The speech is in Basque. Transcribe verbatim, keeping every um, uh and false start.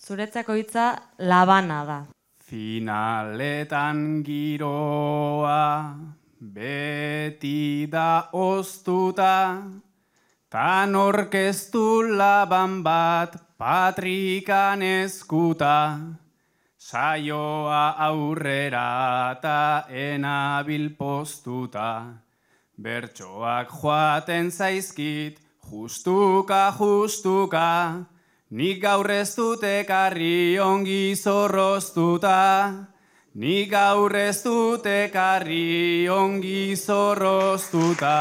Zuretzako hitza labana da. Finaletan giroa beti da oztuta, tan orkestu laban bat patrikan eskuta, saioa aurrera ta enabil postuta, bertsoak joaten zaizkit justuka justuka, nik gaur ez dut ekarri ongi zorroztuta, nik gaur ez dut ekarri ongi zorroztuta.